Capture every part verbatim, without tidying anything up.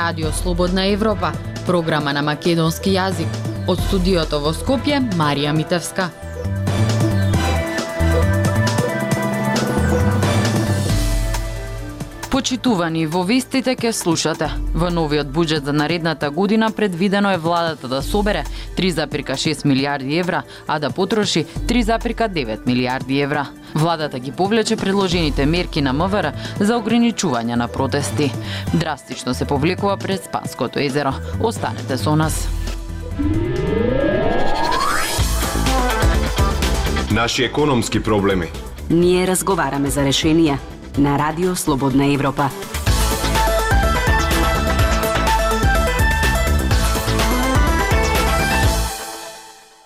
Радио Слободна Европа, програма на македонски јазик. Од студиото во Скопје, Марија Митевска. Почитувани, во вестите ке слушате. Во новиот буџет за наредната година предвидено е владата да собере три зарез шест милијарди евра, а да потроши три зарез девет милијарди евра. Владата ги повлече предложените мерки на МВР за ограничување на протести. Драстично се повлекува пред Спанското езеро. Останете со нас. Наши економски проблеми. Ние разговараме за решенија на Радио Слободна Европа.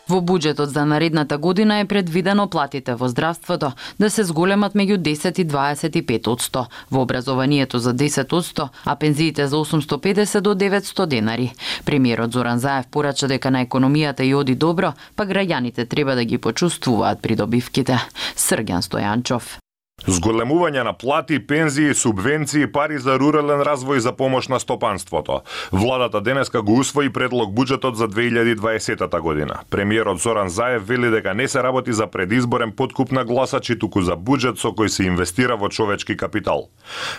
Во буџетот за наредната година е предвидено платите во здравството да се зголемат меѓу десет и дваесет и пет одсто, во образованието за десет одсто, а пензиите за осумсто педесет до деветсто денари. Премиерот Зоран Заев порача дека на економијата и оди добро, па граѓаните треба да ги почувствуваат придобивките. Срѓан Стојанчов. Зголемување на плати, пензии, субвенции, пари за рурален развој за помош на стопанството. Владата денеска го усвои предлог буџетот за две илјади и дваесета година. Премиерот Зоран Заев вели дека не се работи за предизборен подкуп на гласачи, туку за буџет со кој се инвестира во човечки капитал.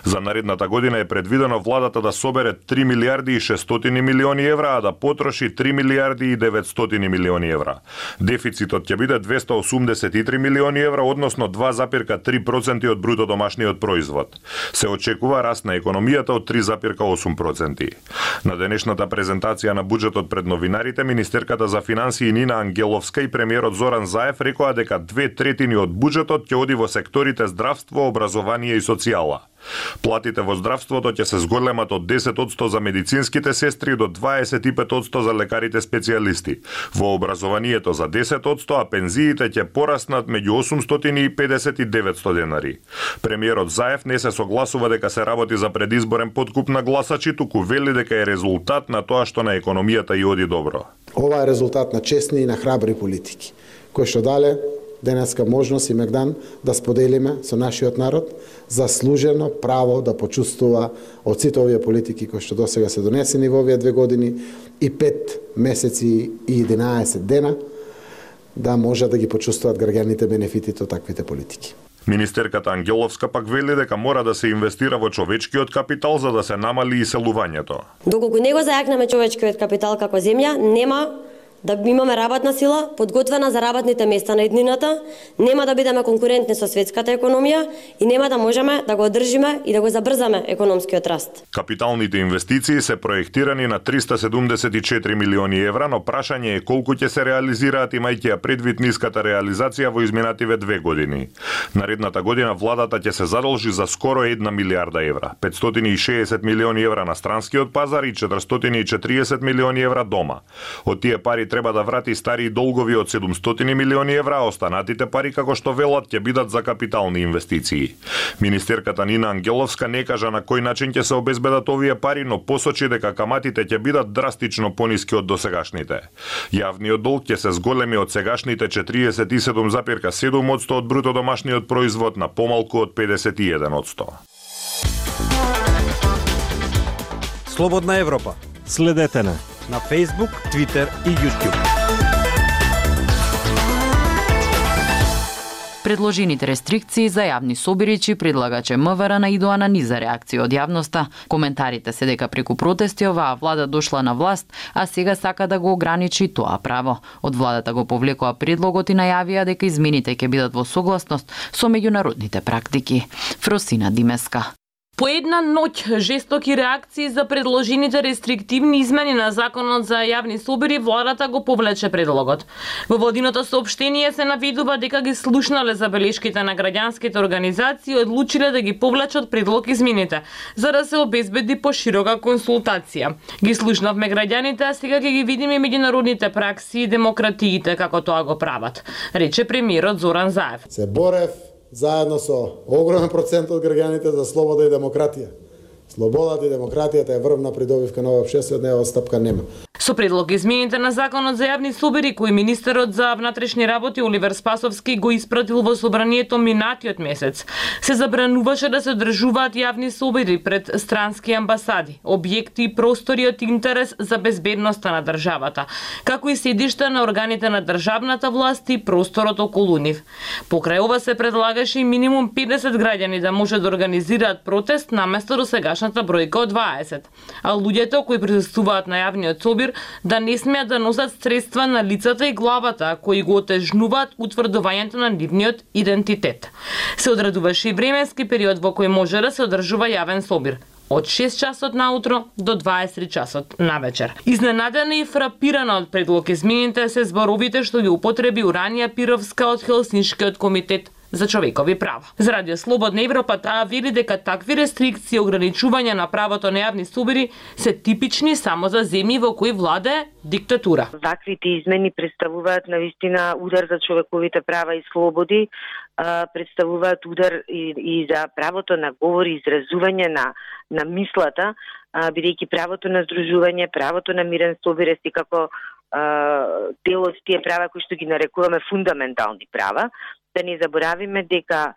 За наредната година е предвидено владата да собере три милијарди и шестстотини милиони евра, а да потроши три милијарди и деветстотини милиони евра. Дефицитот ќе биде двесте осумдесет и три милиони евра, односно два зарез три проценти од бруто домашниот производ. Се очекува раст на економијата од три зарез осум проценти. На денешната презентација на буџетот пред новинарите, министерката за финансии Нина Ангеловска и премиерот Зоран Заев рекоа дека две третини од буџетот ќе оди во секторите здравство, образование и социјала. Платите во здравството ќе се зголемат од десет одсто за медицинските сестри до дваесет и пет одсто за лекарите специјалисти. Во образованието за десет одсто, а пензиите ќе пораснат меѓу осумстотини и педесет и деветсто денари. Премиерот Заев не се согласува дека се работи за предизборен подкуп на гласачи, туку вели дека е резултат на тоа што на економијата и оди добро. Ова е резултат на честни и на храбри политики, кои што дале денеска можност и мегдан да споделиме со нашиот народ заслужено право да почувствува од сите овие политики кои што досега се донесени во овие две години и пет месеци и единаесет дена, да може да ги почувствуваат граѓаните бенефитите од таквите политики. Министерката Ангеловска пак вели дека мора да се инвестира во човечкиот капитал за да се намали иселувањето. Доколку не го зајакнеме човечкиот капитал како земја, нема да имаме работна сила подготвена за работните места на иднината, нема да бидеме конкурентни со светската економија и нема да можеме да го одржиме и да го забрзаме економскиот раст. Капиталните инвестиции се проектирани на триста седумдесет и четири милиони евра, но прашање е колку ќе се реализираат имајќи ја предвид ниската реализација во изминативе две години. Наредната година владата ќе се задолжи за скоро една милијарда евра, петстотини и шеесет милиони евра на странскиот пазар и четиристотини и четириесет милиони евра дома. Од тие пари треба да врати стари долгови од седумстотини милиони евра, а останатите пари, како што велат, ќе бидат за капитални инвестиции. Министерката Нина Ангеловска не кажа на кој начин ќе се обезбедат овие пари, но посочи дека каматите ќе бидат драстично пониски од досегашните. Јавниот долг ќе се зголеми од сегашните четириесет и седум зарез седум одсто од бруто домашниот производ на помалку од педесет и еден одсто. Слободна Европа. Следете на на Facebook, Twitter и YouTube. Предложените рестрикции за јавни собиричи предлагаче МВР наидоа на низа реакција од јавноста. Коментарите се дека преку протести оваа влада дошла на власт, а сега сака да го ограничи тоа право. Од владата го повлекоа предлогот и најавија дека измените ќе бидат во согласност со меѓународните практики. Фросина Димеска. По една ноќ жестоки реакции за предложените рестриктивни измени на законот за јавни собори, владата го повлече предлогот. Во владиното соопштение се наведува дека ги слушнале забелешките на граѓанските организации и одлучиле да ги повлечат предлог измените, за да се обезбеди поширока консултација. Ги слушнавме граѓаните, а сега ќе ги видиме меѓународните пракси и демократиите како тоа го прават, рече премиерот Зоран Заев. Се борев заедно со огромен процент од граѓаните за слобода и демократија. Слободата и демократијата е врвна придобивка на овој обществен, нева стапка нема. Со предлог измените на Законот за јавни собири, кој министерот за внатрешни работи Оливер Спасовски го испратил во собранието минатиот месец, се забрануваше да се одржуваат јавни собири пред странски амбасади, објекти и простори од интерес за безбедноста на државата, како и седишта на органите на државната власт и просторот околу нив. Покрај ова се предлагаше и минимум педесет граѓани да може да организираат протест наместо до сегашната бројка од дваесет, а луѓето кои присуствуваат на јавниот собир да не смеат да носат средства на лицата и главата кои го отежнуваат утврдувањето на нивниот идентитет. Се одредуваше и временски период во кој може да се одржува јавен собир, од шест часот наутро до дваесет три часот навечер. Изненадена и фрапирана од предлог измените се зборовите што ги употреби Уранија Пировска од Хелсиншкиот комитет за човекови права. За Радио Слободна Европа таа вели дека такви рестрикции и ограничувања на правото на јавни собири се типични само за земји во кои владае диктатура. Ваквите измени представуваат навистина удар за човековите права и слободи, представуваат удар и, и за правото на говор и изразување на на мислата, бидејќи правото на здружување, правото на мирен собир е како дел од тие права кои што ги нарекуваме фундаментални права. Да не заборавиме дека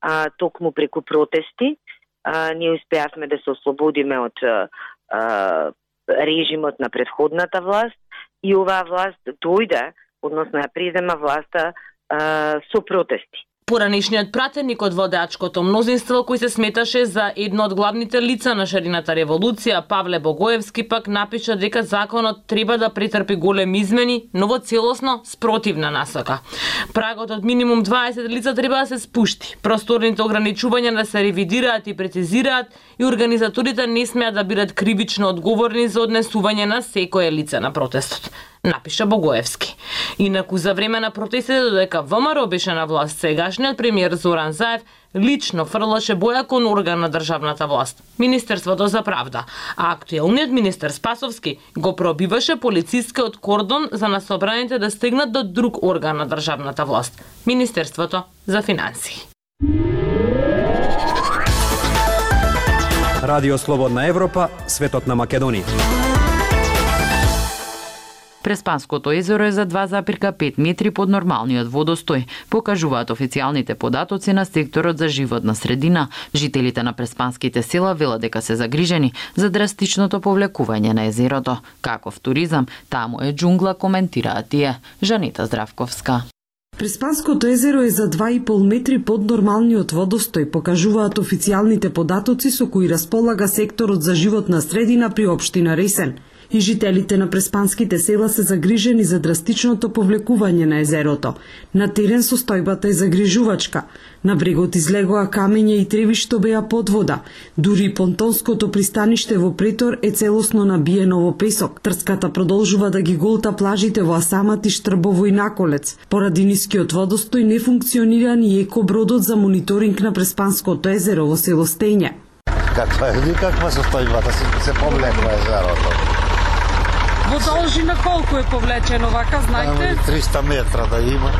а, токму преку протести а, ние успеавме да се ослободиме од а, режимот на предходната власт и оваа власт дојде, односно ја презема власта а, со протести. Поранешниот пратеник од водачкото мнозинство, кој се сметаше за едно од главните лица на шарината револуција, Павле Богоевски, пак напиша дека законот треба да претрпи големи измени, но во целосно спротивна насока. Прагот од минимум дваесет лица треба да се спушти, просторните ограничувања да се ревидираат и прецизираат и организаторите не смеат да бидат кривично одговорни за однесување на секое лице на протестот, напиша Богоевски. Инаку за време на протестите додека ВМРО беше на власт, сегашниот премиер Зоран Заев лично фрлаше боја кон орган на државната власт, Министерството за правда, а актуелниот министер Спасовски го пробиваше полицискиот кордон за насобраните да стигнат до друг орган на државната власт, Министерството за финансии. Радио Слободна Европа, светот на Македонија. Преспанското езеро е за два запирка пет метри под нормалниот водостој, покажуваат официјалните податоци на секторот за животна средина. Жителите на преспанските села велат дека се загрижени за драстичното повлекување на езерото. Каков туризам, таму е џунгла, коментираат тие. Жанета Здравковска. Преспанското езеро е за два и пол метри под нормалниот водостој, покажуваат официјалните податоци со кои располага секторот за животна средина при општина Ресен. И жителите на преспанските села се загрижени за драстичното повлекување на езерото. На терен состојбата е загрижувачка. На брегот излегоа камења и треви што беа под вода. Дури понтонското пристаниште во Претор е целосно набиено во песок. Трската продолжува да ги голта плажите во Асамат и Штрбово и Наколец. Поради нискиот водостој не функционира ни екобродот за мониторинг на Преспанското езеро во село Стења. Каква е никаква состојбата, се, се повлекува езерото. Во должина колку е повлечено вака, знаете? триста метра да има.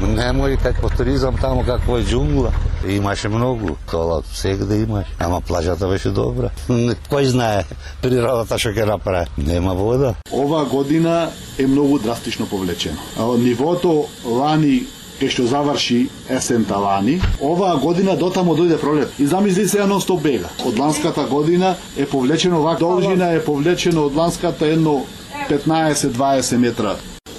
Нема и какво туризам таму, какво е џунгла. Имаше многу, тоа сегде имаше. Ама плажата беше добра. Кој знае природата што ќе направи? Нема вода. Ова година е многу драстично повлечено. Нивото лани кај што заврши есента лани, оваа година дотамо дојде пролет. И замисли се едно стоп бега. Од ланската година е повлечено вака должина е повлечено од ланската едно петнаесет до дваесет метра.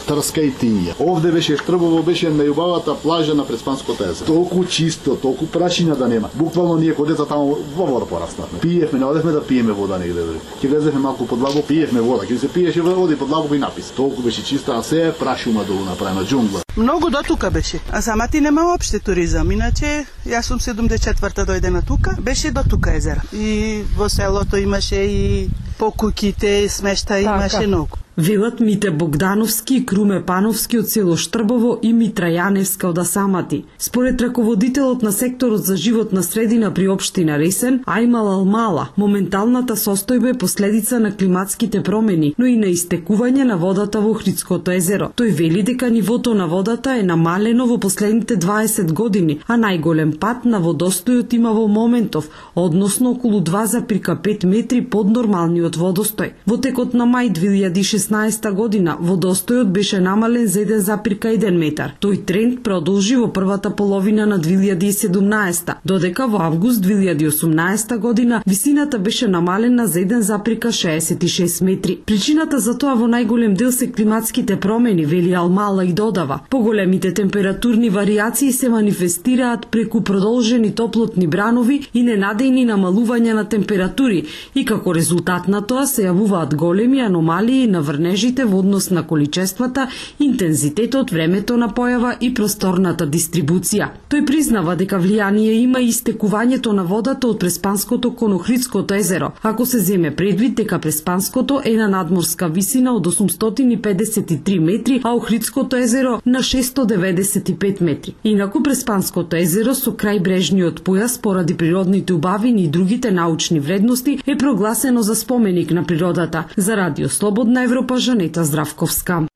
Трска и тиња. Овде беше Штрбово, беше најубавата плажа на Преспанското езеро. Толку чисто, толку прашина да нема. Буквално ние кога деца таму во вода пораснавме. Пиевме, не одевме да пиеме вода негде. Ќе влезевме малку под лабо, пиевме вода. Ќе се пиеше вода под лабо и напис. Толку беше чиста, а се е прашума долу направена џунгла. Многу до тука беше. А самати нема опште туризам. Иначе јас сум седумдесет и четврта дојдена тука. Беше до тука езера. И во селото имаше и по куќите, смешта имаше многу. Велат Мите Богдановски и Круме Пановски од село Штрбово и Митра Јаневска од Асамати. Според раководителот на секторот за животна средина при општина Ресен, Ајмал Алмала, моменталната состојба е последица на климатските промени, но и на истекување на водата во Охридското езеро. Тој вели дека нивото на водата е намалено во последните дваесет години, а најголем пат на водостојот има во моментов, односно околу два запирка пет метри под нормалниот водостој. Во текот на мај две илјади и шеснаесетте шеснаесетта година водостојот беше намален за еден запир еден метар. Тој тренд продолжи во првата половина на две илјади и седумнаесетта, додека во август две илјади и осумнаесетта година висината беше намалена за еден запир шеесет и шест метри. Причината за тоа во најголем дел се климатските промени, вели Алмала и додава. Поголемите температурни варијации се манифестираат преку продолжени топлотни бранови и ненадејни намалувања на температури и како резултат на тоа се јавуваат големи аномалии на врнежите во однос на количествата, интензитетот, времето на појава и просторната дистрибуција. Тој признава дека влијание има и истекувањето на водата од Преспанското кон Охридското езеро, ако се земе предвид дека Преспанското е на надморска висина од осумстотини и педесет и три метри, а Охридското езеро на шестстотини деведесет и пет метри. Инаку Преспанското езеро со крајбрежниот појас поради природните убавини и другите научни вредности е прогласено за споменик на природата. За Радио Слободна Европа, Жанета Здравковска.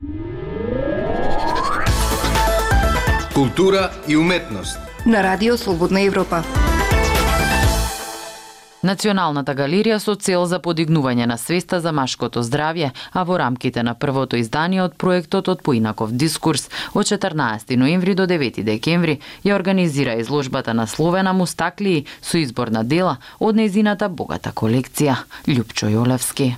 Култура и уметност на Радио Слободна Европа. Националната галерија со цел за подигнување на свеста за машкото здравје, а во рамките на првото издание од проектот од поинаков дискурс, од четрнаесети ноември до девети декември ја организира изложбата насловена Мустаклии со избор на дела од нејзината богата колекција. Љупчо Јолевски.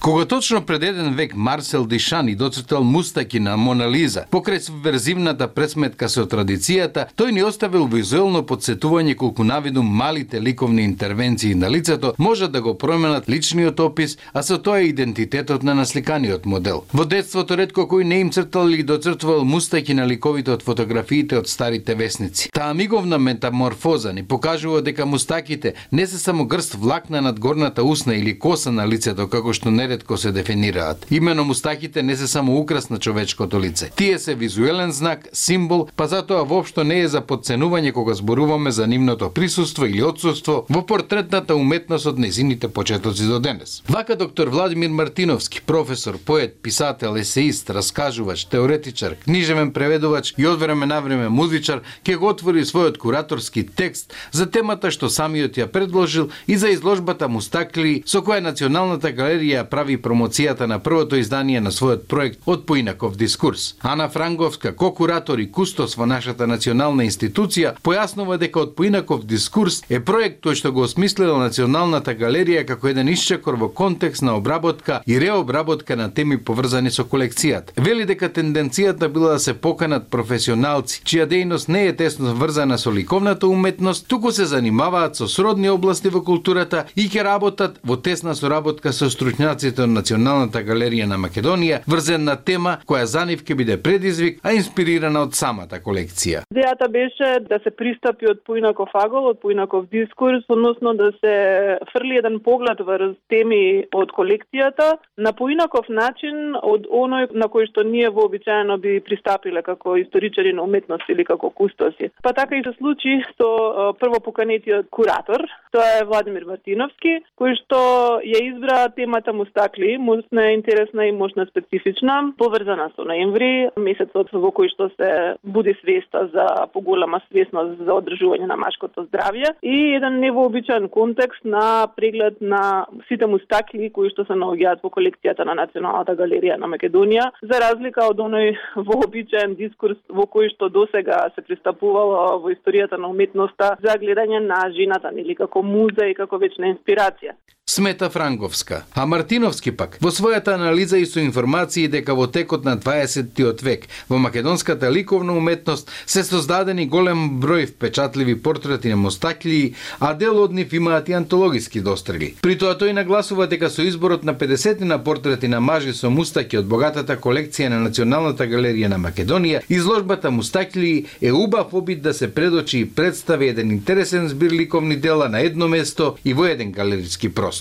Кога точно пред еден век Марсел Дишани доцртал мустаки на Мона Лиза, покрај субверзивната пресметка со традицијата, тој ни оставил визуелно подсетување колку навидум малите ликовни интервенции на лицето можат да го променат личниот опис, а со тоа и идентитетот на насликаниот модел. Во детството ретко кој не им цртал или доцртувал мустаки на ликовите од фотографиите од старите весници. Таа миговна метаморфоза ни покажува дека мустаките не се само грст влакна над горната усна или коса на лицето, како што не ретко се дефинираат. Имено мустаките не се само украс на човечкото лице. Тие се визуелен знак, символ, па затоа воопшто не е за подценување кога зборуваме за нивното присуство или отсуство во портретната уметност од нејзините почетоци до денес. Вака доктор Владимир Мартиновски, професор, поет, писател, есеист, раскажувач, теоретичар, книжевен преведувач и од време на време музичар, ќе го отвори својот кураторски текст за темата што самиот ја предложил и за изложбата Мустаклии со која Националната галерија прави промоцијата на првото издание на својот проект од поинаков дискурс. Ана Франговска, ко-куратор и кустос во нашата национална институција, појаснува дека од поинаков дискурс е проект тој што го осмислила Националната галерија како еден исчекор во контекст на обработка и реобработка на теми поврзани со колекцијата. Вели дека тенденцијата била да се поканат професионалци, чија дејност не е тесно врзана со ликовната уметност, туку се занимаваат со сродни области во културата и ќе работат во тесна соработка со стручњаците од Националната галерија на Македонија, врзен на тема која за нив ќе биде предизвик, а инспирирана од самата колекција. Идејата беше да се пристапи од поинаков агол, од поинаков дискурс, односно да се фрли еден поглед врз теми од колекцијата на поинаков начин од оној на кој што ние вообичаено би пристапиле како историчари на уметност или како кустоси. Па така и се случи со прво поканетиот куратор, тоа е Владимир Мартиновски, кој што ја избра темата Мустаклии, мощна е интересна и мощна специфична, поврзана со ноември, месецот во кој што се буди свеста за поголема свесност за одржување на машкото здравје и еден невообичаен контекст на преглед на сите мустаклии кои што се наоѓаат во колекцијата на Националната галерија на Македонија, за разлика од оној вообичаен дискурс во кој што досега се пристапувало во историјата на уметноста за гледање на жената нели како муза и како вечна инспирација. Смета Франговска. А Мартиновски пак во својата анализа и со информации дека во текот на дваесеттиот век во македонската ликовна уметност се создадени голем број впечатливи портрети на мустаклии, а дел од нив имаат и антологиски дострели. При тоа тој нагласува дека со изборот на педесетина портрети на мажи со мустаки од богатата колекција на Националната галерија на Македонија, изложбата Мустаклии е убав обид да се предочи и представи еден интересен збир ликовни дела на едно место и во еден галериски простор.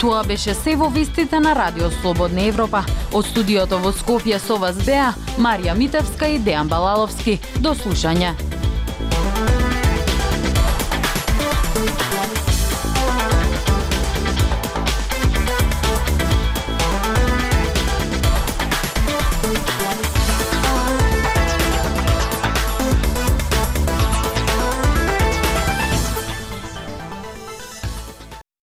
Тоа беше се во вестите на Радио Слободна Европа. Од студиото во Скопје со вас беа Марија Митевска и Дејан Балаловски. До слушање.